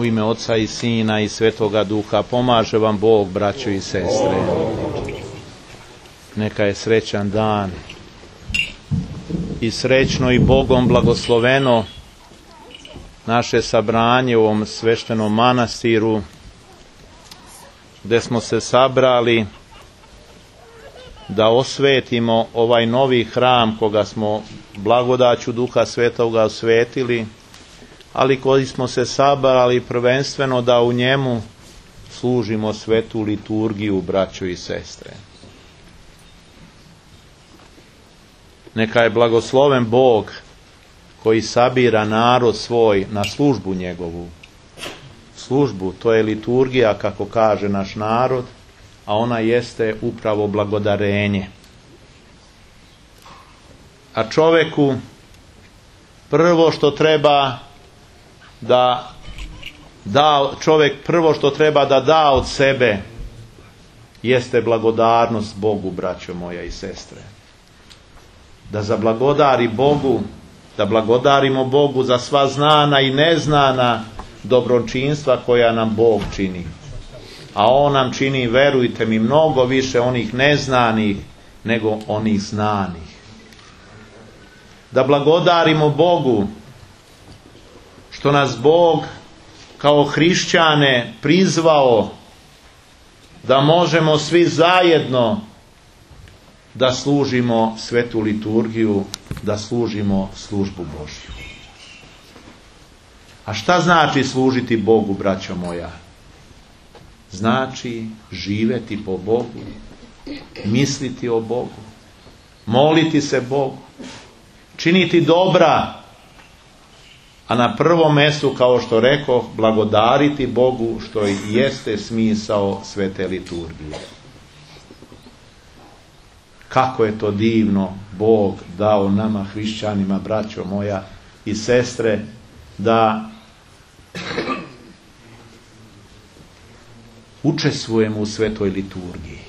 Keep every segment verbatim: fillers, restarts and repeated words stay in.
U ime Oca i Sina i Svetoga Duha, pomaže vam Bog, braćo i sestre. Neka je srećan dan i srećno i Bogom blagosloveno naše sabranje u ovom sveštenom manastiru, gdje smo se sabrali da osvetimo ovaj novi hram koga smo blagodaću Duha Svetoga osvetili, ali koji smo se sabrali prvenstveno da u njemu služimo svetu liturgiju, braćo i sestre. Neka je blagosloven Bog koji sabira narod svoj na službu njegovu. Službu, to je liturgija, kako kaže naš narod, a ona jeste upravo blagodarenje. A čoveku prvo što treba da da čovjek prvo što treba da da od sebe jeste blagodarnost Bogu, braćo moja i sestre. Da zablagodari Bogu, da blagodarimo Bogu za sva znana i neznana dobročinstva koja nam Bog čini. A On nam čini, verujte mi, mnogo više onih neznanih nego onih znanih. Da blagodarimo Bogu što nas Bog kao hrišćane prizvao da možemo svi zajedno da služimo svetu liturgiju, da služimo službu Božju. A šta znači služiti Bogu, braćo moja? Znači živeti po Bogu, misliti o Bogu, moliti se Bogu, činiti dobra, a na prvom mjestu, kao što rekoh, blagodariti Bogu, što i jeste smisao svete liturgije. Kako je to divno Bog dao nama hrišćanima, braćo moja i sestre, da učestvujemo u svetoj liturgiji.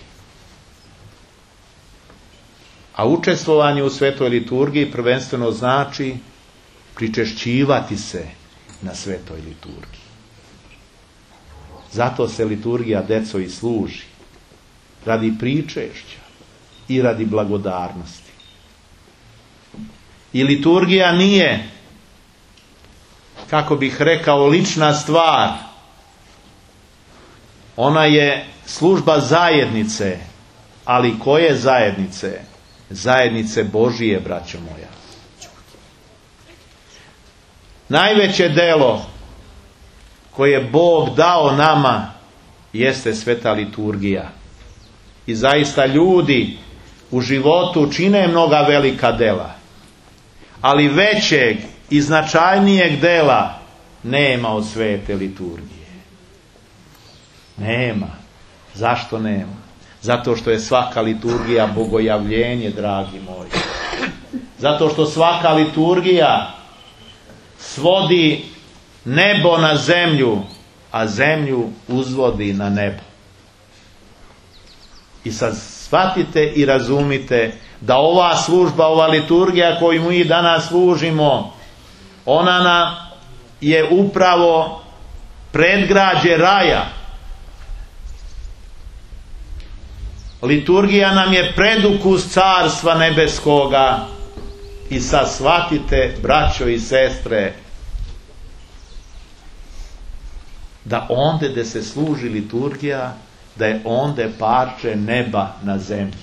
A učestvovanje u svetoj liturgiji prvenstveno znači pričešćivati se na svetoj liturgiji. Zato se liturgija, deco, i služi. Radi pričešća i radi blagodarnosti. I liturgija nije, kako bih rekao, lična stvar. Ona je služba zajednice. Ali koje zajednice? Zajednice Božije, braćo moja. Najveće delo koje Bog dao nama jeste sveta liturgija. I zaista ljudi u životu čine mnoga velika dela. Ali većeg i značajnijeg dela nema od svete liturgije. Nema. Zašto nema? Zato što je svaka liturgija bogojavljenje, dragi moji. Zato što svaka liturgija svodi nebo na zemlju, a zemlju uzvodi na nebo. I sad shvatite i razumite da ova služba, ova liturgija koju mi danas služimo, ona nam je upravo predgrađe raja. Liturgija nam je predukus carstva nebeskoga. I sad shvatite, braćo i sestre, da onde gde se služi liturgija, da je onde parče neba na zemlji.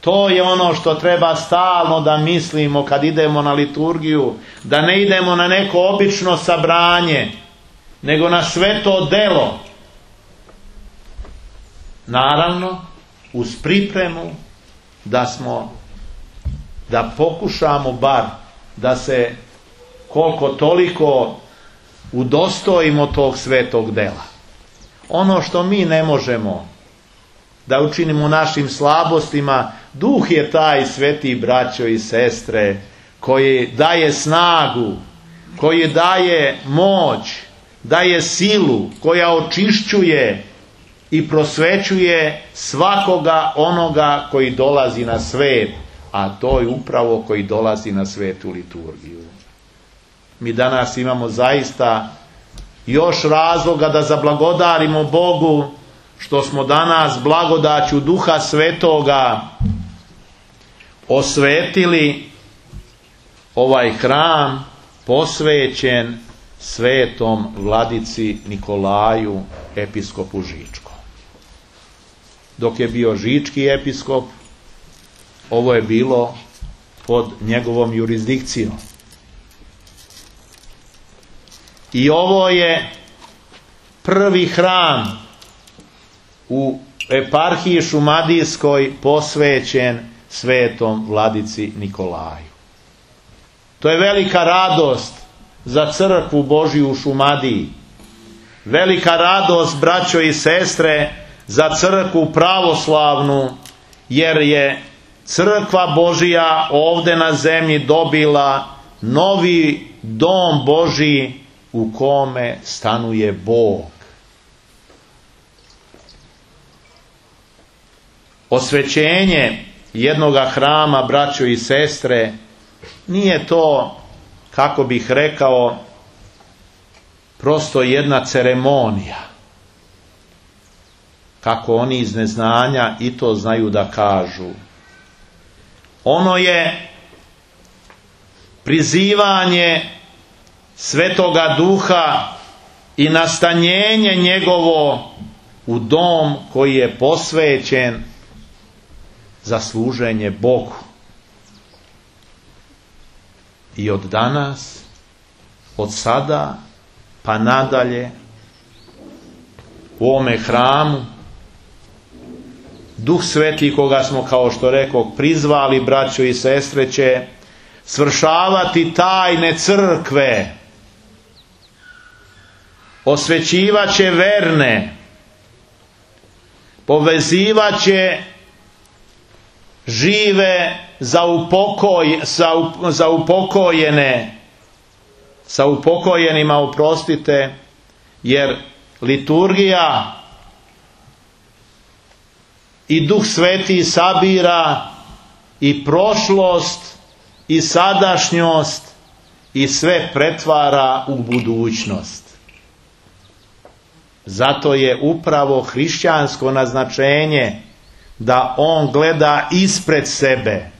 To je ono što treba stalno da mislimo kad idemo na liturgiju, da ne idemo na neko obično sabranje, nego na sveto delo. Naravno, uz pripremu da smo, da pokušamo bar da se koliko toliko udostojimo tog svetog dela. Ono što mi ne možemo da učinimo našim slabostima, Duh je taj, sveti braćo i sestre, koji daje snagu, koji daje moć, daje silu, koja očišćuje i prosvećuje svakoga onoga koji dolazi na svet, a to je upravo koji dolazi na svetu liturgiju. Mi danas imamo zaista još razloga da zablagodarimo Bogu što smo danas blagodaću Duha Svetoga osvetili ovaj hram posvećen svetom vladici Nikolaju, episkopu Žičkom. Dok je bio žički episkop, ovo je bilo pod njegovom jurisdikcijom. I ovo je prvi hram u eparhiji šumadijskoj posvećen svetom vladici Nikolaju. To je velika radost za crkvu Božju u Šumadiji. Velika radost, braćo i sestre, za crkvu pravoslavnu, jer je crkva Božja ovdje na zemlji dobila novi dom Božji u kome stanuje Bog. Osvećenje jednoga hrama, braćo i sestre, nije to, kako bih rekao, prosto jedna ceremonija. Kako oni iz neznanja i to znaju da kažu. Ono je prizivanje Svetoga Duha i nastanjenje njegovo u dom koji je posvećen za služenje Bogu. I od danas, od sada pa nadalje, u ovome hramu Duh Sveti, koga smo, kao što rekao, prizvali, braćo i sestre, će svršavati tajne crkve, osvećivat će verne, povezivat će žive za, upokoj, za, za upokojene, sa upokojenima, oprostite, jer liturgija i Duh Sveti sabira i prošlost i sadašnjost i sve pretvara u budućnost. Zato je upravo hrišćansko naznačenje da on gleda ispred sebe,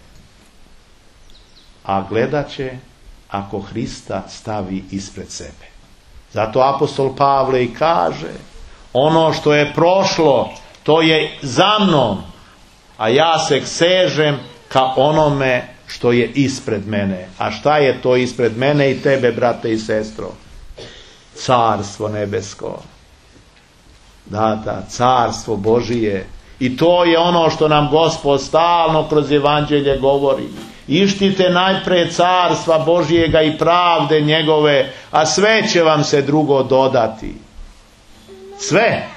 a gledat će ako Hrista stavi ispred sebe. Zato apostol Pavle i kaže, ono što je prošlo, to je za mnom, a ja se sežem ka onome što je ispred mene. A šta je to ispred mene i tebe, brate i sestro? Carstvo nebesko. Da, da, carstvo Božije. I to je ono što nam Gospod stalno kroz evanđelje govori. Ištite najpre carstva Božijega i pravde njegove, a sve će vam se drugo dodati. Sve.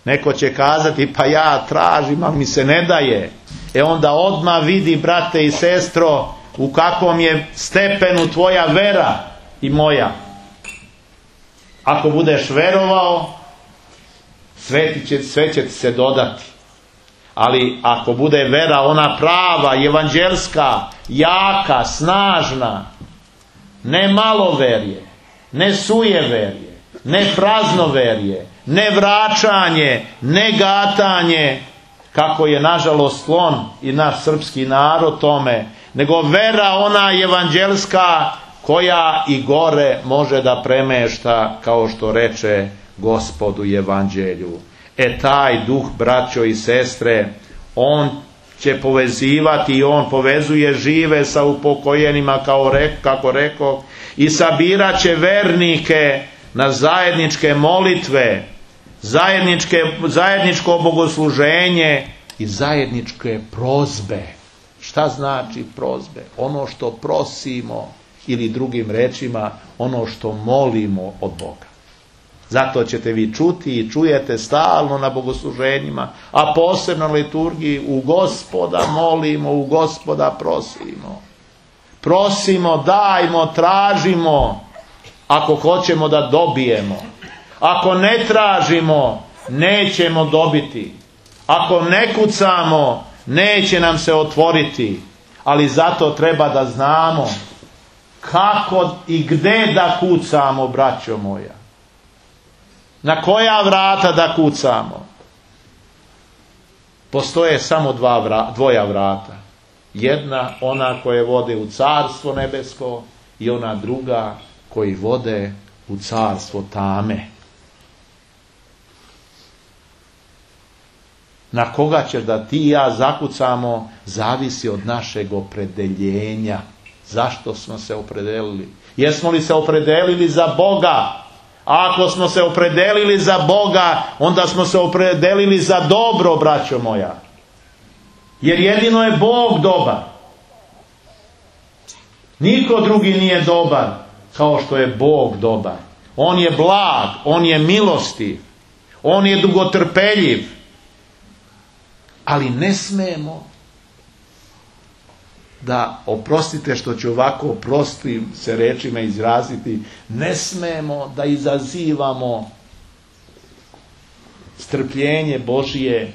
Neko će kazati, pa ja tražim, a mi se ne daje. E onda odmah vidi, brate i sestro, u kakvom je stepenu tvoja vera i moja. Ako budeš verovao, sve, će, sve će ti se dodati. Ali ako bude vera ona prava, evanđelska, jaka, snažna, ne maloverje, ne sujeverje, ne praznoverje, ne vraćanje, ne gatanje, kako je nažalost sklon i naš srpski narod tome, nego vera ona evanđelska koja i gore može da premešta, kao što reče Gospod u evanđelju. E taj duh, braćo i sestre, on će povezivati i on povezuje žive sa upokojenima, kao rek, kako rekao, i sabirat će vernike na zajedničke molitve, zajedničke, zajedničko bogosluženje i zajedničke prozbe. Šta znači prozbe? Ono što prosimo, ili drugim rečima, ono što molimo od Boga. Zato ćete vi čuti i čujete stalno na bogosluženjima, a posebno na liturgiji, u Gospoda molimo, u Gospoda prosimo. Prosimo, dajmo, tražimo, ako hoćemo da dobijemo. Ako ne tražimo, nećemo dobiti. Ako ne kucamo, neće nam se otvoriti. Ali zato treba da znamo kako i gde da kucamo, braćo moja? Na koja vrata da kucamo? Postoje samo dva vra, dvoja vrata. Jedna, ona koje vode u carstvo nebesko, i ona druga koji vode u carstvo tame. Na koga će da ti i ja zakucamo, zavisi od našeg opredeljenja. Zašto smo se opredelili? Jesmo li se opredelili za Boga? A ako smo se opredelili za Boga, onda smo se opredelili za dobro, braćo moja. Jer jedino je Bog dobar. Niko drugi nije dobar kao što je Bog dobar. On je blag, on je milostiv, on je dugotrpeljiv. Ali ne smemo da, oprostite što ću ovako prostim se rečima izraziti, ne smemo da izazivamo strpljenje Božije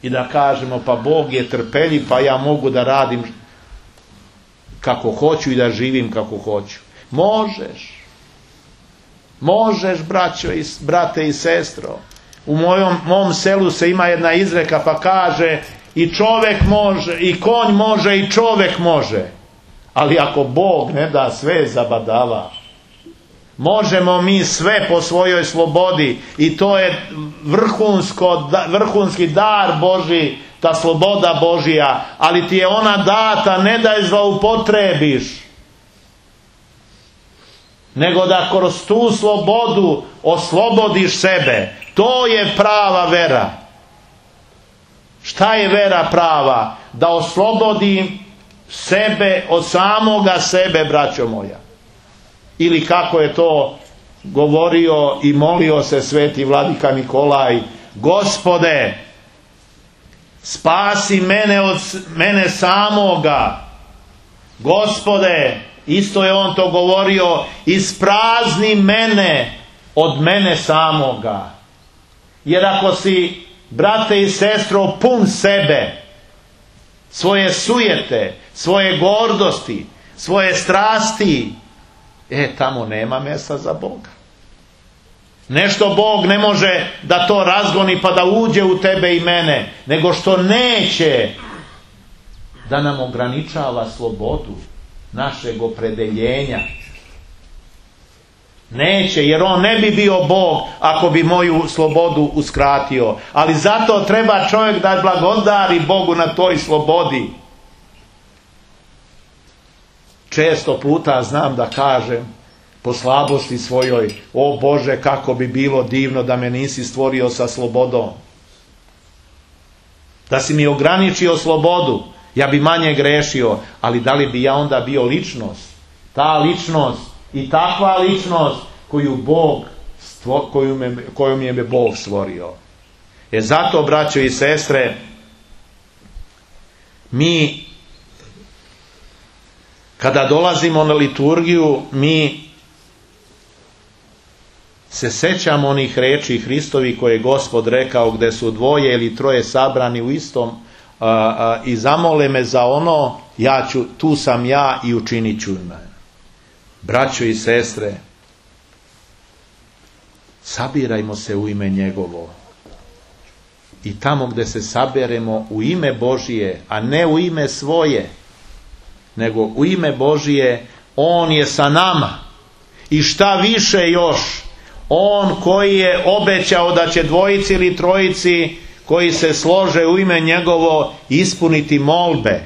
i da kažemo pa Bog je trpeljiv, pa ja mogu da radim kako hoću i da živim kako hoću. Možeš. Možeš, braćo i, brate i sestro. U mojom, mom selu se ima jedna izreka pa kaže i čovjek može, i konj može, i čovjek može. Ali ako Bog ne da, sve zabadava. Možemo mi sve po svojoj slobodi i to je vrhunsko, vrhunski dar Božji, ta sloboda Božja, ali ti je ona data ne da je zloupotrebiš, nego da kroz tu slobodu oslobodiš sebe. To je prava vera. Šta je vera prava? Da oslobodim sebe od samoga sebe, braćo moja. Ili kako je to govorio i molio se sveti vladika Nikolaj, Gospode, spasi mene od mene samoga. Gospode, isto je on to govorio, isprazni mene od mene samoga. Jer ako si, brate i sestro, pun sebe, svoje sujete, svoje gordosti, svoje strasti, e, tamo nema mjesta za Boga. Nešto Bog ne može da to razgoni pa da uđe u tebe i mene, nego što neće da nam ograničava slobodu našeg opredeljenja. Neće, jer on ne bi bio Bog ako bi moju slobodu uskratio. Ali zato treba čovjek da blagodari Bogu na toj slobodi. Često puta znam da kažem po slabosti svojoj, o Bože, kako bi bilo divno da me nisi stvorio sa slobodom. Da si mi ograničio slobodu, ja bi manje grešio, ali da li bi ja onda bio ličnost? Ta ličnost i takva ličnost koju Bog stvo, koju me, kojom je me Bog stvorio. E zato, braćo i sestre, mi kada dolazimo na liturgiju, mi se sećamo onih reči Hristovi koje je Gospod rekao, gde su dvoje ili troje sabrani u istom a, a, i zamole me za ono, ja ću, tu sam ja i učinit ću me. Braćo i sestre, sabirajmo se u ime njegovo. I tamo gde se saberemo u ime Božije, a ne u ime svoje, nego u ime Božije, on je sa nama. I šta više još, on koji je obećao da će dvojici ili trojici koji se slože u ime njegovo ispuniti molbe.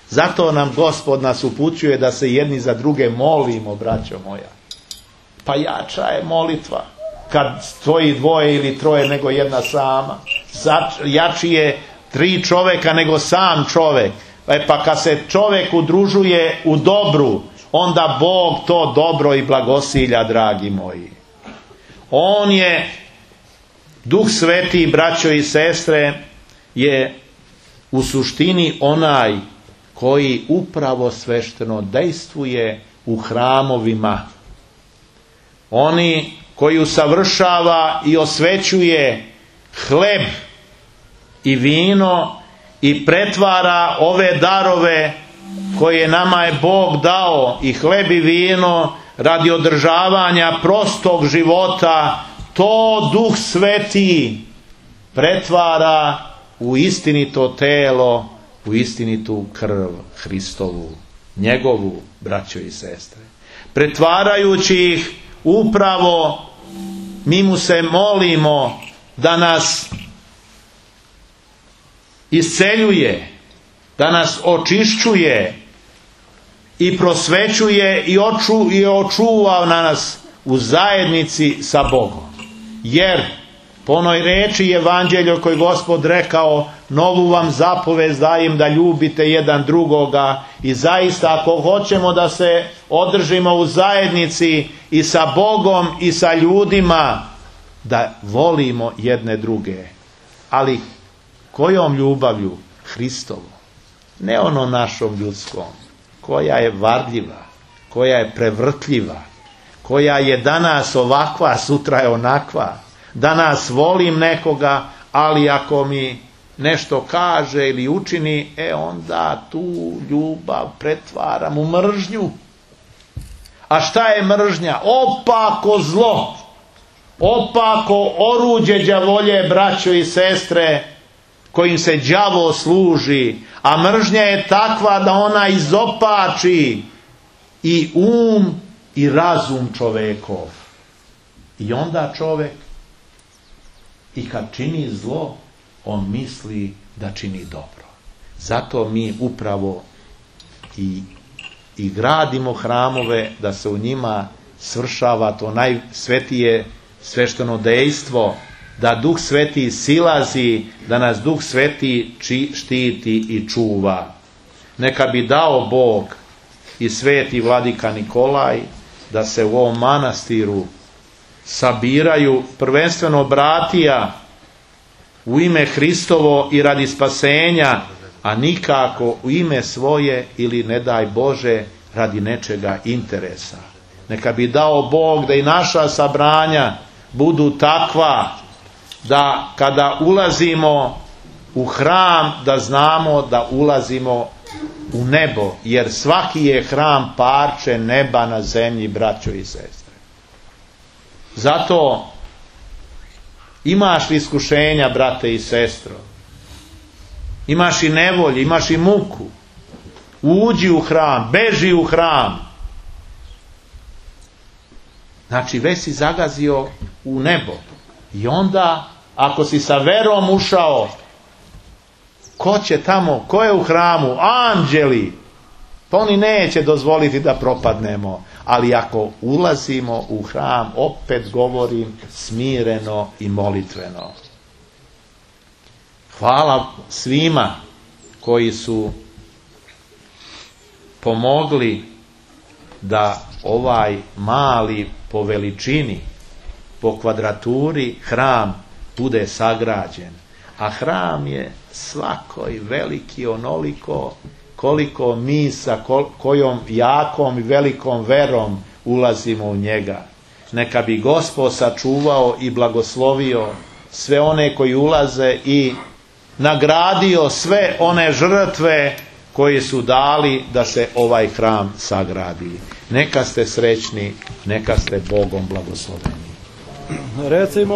Zato nam Gospod nas upućuje da se jedni za druge molimo, braćo moja. Pa jača je molitva kad stoji dvoje ili troje nego jedna sama. Jači je tri čovjeka nego sam čovjek. E pa kad se čovjek udružuje u dobru, onda Bog to dobro i blagosilja, dragi moji. On je, Duh Sveti, braćo i sestre, je u suštini onaj koji upravo svešteno dejstvuje u hramovima. Oni koji usavršava i osvećuje hleb i vino i pretvara ove darove koje nama je Bog dao, i hleb i vino radi održavanja prostog života, to Duh Sveti pretvara u istinito telo, u istinitu krv Hristovu, njegovu, braćo i sestre. Pretvarajući ih upravo, mi mu se molimo da nas isceljuje, da nas očišćuje i prosvećuje i, oču, i očuva na nas u zajednici sa Bogom. Jer po onoj reči evanđelju koji Gospod rekao, novu vam zapovest dajem da ljubite jedan drugoga, i zaista ako hoćemo da se održimo u zajednici i sa Bogom i sa ljudima, da volimo jedne druge. Ali kojom ljubavlju? Hristovom. Ne ono našom ljudskom, koja je varljiva, koja je prevrtljiva, koja je danas ovakva, sutra je onakva. Danas volim nekoga, ali ako mi nešto kaže ili učini, e onda tu ljubav pretvaram u mržnju. A šta je mržnja? Opako zlo, opako oruđe đavolje, braćo i sestre, kojim se đavo služi. A mržnja je takva da ona izopači i um i razum čovekov. I onda čovek, i kad čini zlo, on misli da čini dobro. Zato mi upravo i, i gradimo hramove, da se u njima svršava to najsvetije svešteno dejstvo, da Duh Sveti silazi, da nas Duh Sveti či, štiti i čuva. Neka bi dao Bog i sveti vladika Nikolaj da se u ovom manastiru sabiraju prvenstveno bratija u ime Hristovo i radi spasenja, a nikako u ime svoje ili, ne daj Bože, radi nečega interesa. Neka bi dao Bog da i naša sabranja budu takva da kada ulazimo u hram, da znamo da ulazimo u nebo, jer svaki je hram parče neba na zemlji, braćo i sestre. Zato imaš li iskušenja, brate i sestro, imaš i nevolje, imaš i muku, uđi u hram, beži u hram. Znači već si zagazio u nebo. I onda ako si sa verom ušao, ko će tamo, ko je u hramu? Anđeli. Pa oni neće dozvoliti da propadnemo. Ali ako ulazimo u hram, opet govorim, smireno i molitveno. Hvala svima koji su pomogli da ovaj mali po veličini, po kvadraturi hram bude sagrađen. A hram je svakoj veliki onoliko koliko mi sa kojom jakom i velikom verom ulazimo u njega. Neka bi Gospod sačuvao i blagoslovio sve one koji ulaze i nagradio sve one žrtve koji su dali da se ovaj hram sagradi. Neka ste srećni, neka ste Bogom blagosloveni. Recimo